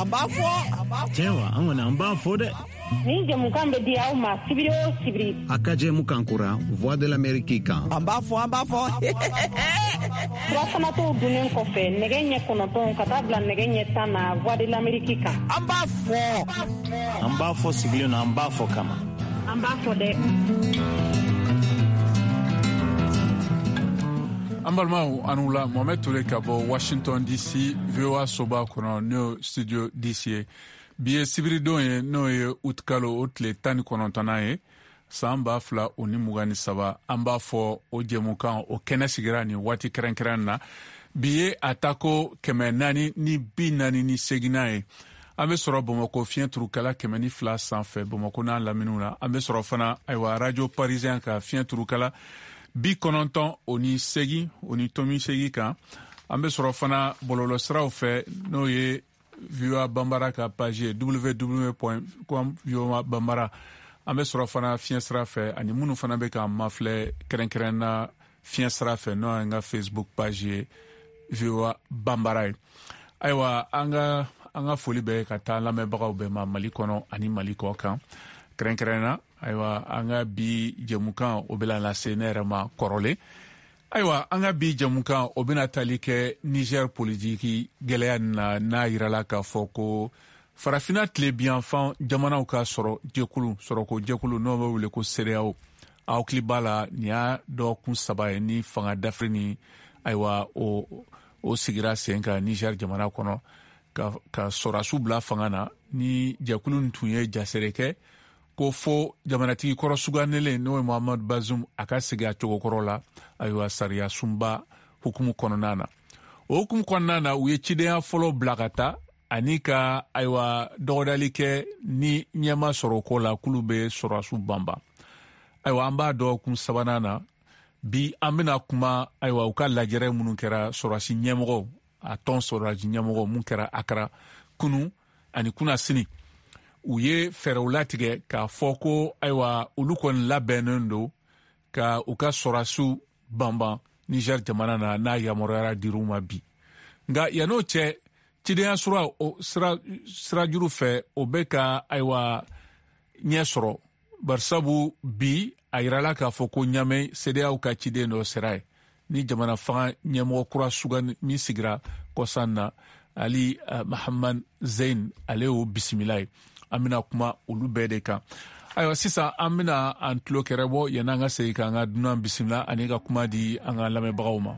An b'a fɔ. Tiɲɛ wa, an kɔni an b'a fɔ dɛ. Nin jɛmukan bɛ di aw ma sibiri o sibiri. A ka jɛmukan kura Voix de l'Amérique kan. An b'a fɔ, an b'a fɔ. Furafanatɔw dunnen kɔfɛ nɛgɛ ɲɛ 9 ka taa bila nɛgɛ ɲɛ 10 na Voix de l'Amérique kan. An b'a fɔ. An b'a fɔ sigilen na, an b'a fɔ kama. An b'a fɔ dɛ. An balimaw, aw ni wula. Mohamed Toure ka bɔ Washington DC, VOA soba kɔnɔ, n'o studio DC ye. Bi ye sibiridon ye, n'o ye utikalo o tile 19nan ye, san 2023. An b'a fɔ o jɛmukan o kɛnɛ sigira nin waati kɛrɛnkɛrɛn na. Bi ye a tako 448nan ye. An bɛ sɔrɔ Bamakɔ fiɲɛ turukala 102 sanfɛ, Bamakɔ n'a laminiw na. An bɛ sɔrɔ fana, ayiwa, Radio Parisien ka fiɲɛ turukala 98.8 kan. An bɛ sɔrɔ fana bɔlɔlɔsiraw fɛ, n'o ye VOA Bambara ka page ye, www point com VOA Bambara. An bɛ sɔrɔ fana fiɲɛ sira fɛ, ani minnu fana bɛ k'an mafilɛ kɛrɛnkɛrɛn na fiɲɛ sira fɛ, n'o y'an ka Facebook page ye, VOA Bambara ye. Ayiwa, an ka foli bɛ ka taa lamɛnbagaw bɛɛ ma Mali kɔnɔ ani Mali kɔ kan kɛrɛnkɛrɛn na. Ayiwa, an ka bi jɛmukan o bɛna lase ne yɛrɛ ma kɔrɔlen. Ayiwa, an ka bi jɛmukan o bɛna tali kɛ Niger politiki gɛlɛya na, n'a yirala k'a fɔ ko Farafina tilebinyanfan jamanaw ka sɔrɔ jɛkulu, sɔrɔko jɛkulu, n'o bɛ wele ko CEDEAO. Aw hakili b'a la, nin y'a dɔgɔkun 3 ye ni fanga dafiri ni, ayiwa, o sigira sen kan Niger jamana kɔnɔ ka sɔrɔdasiw bila fanga na. Ni jɛkulu nin tun ye jasere kɛ ko fo jamanatigi kɔrɔ sugandilen, n'o ye Mohamed Bazoum, a ka segin a cogo kɔrɔ la, ayiwa, sariya sunba hukumu kɔnɔna na. O hukumu kɔnɔna na, u ye cidenya fɔlɔ bila ka taa ani ka, ayiwa, dɔgɔdali kɛ ni ɲɛma sɔrɔ ko la k'olu bɛ sɔrɔdasiw banban. Ayiwa, an b'a dɔgɔkun sabanan na bi. An bɛna kuma, ayiwa, u ka lajɛrɛ minnu kɛra sɔrɔdasi ɲɛmɔgɔw, a tɔn sɔrɔdasi ɲɛmɔgɔ mun kɛra Akara kunu ani kunasini. U ye fɛɛrɛw latigɛ k'a fɔ ko, ayiwa, olu kɔni labɛnnen don ka u ka sɔrɔdasiw banban Niger jamana na, n'a yamaruyara dir'u ma bi. Nka yann'o cɛ, cidenya sira o sirajuru fɛ, o bɛ ka, ayiwa, ɲɛ sɔrɔ, barisabu bi a yirala k'a fɔ ko Ɲamɛ CEDEAO ka ciden dɔ sera ye, ni jamana fanga ɲɛmɔgɔ kura sugan min sigira kɔsan na, Ali Mahaman Zein, ale y'o bisimila ye. An bɛna kuma olu bɛɛ de kan. Ayiwa, sisan an bɛna an tulo kɛrɛ bɔ yanni an ka segin k'an ka dunan bisimila ani ka kuma di an ka lamɛnbagaw ma.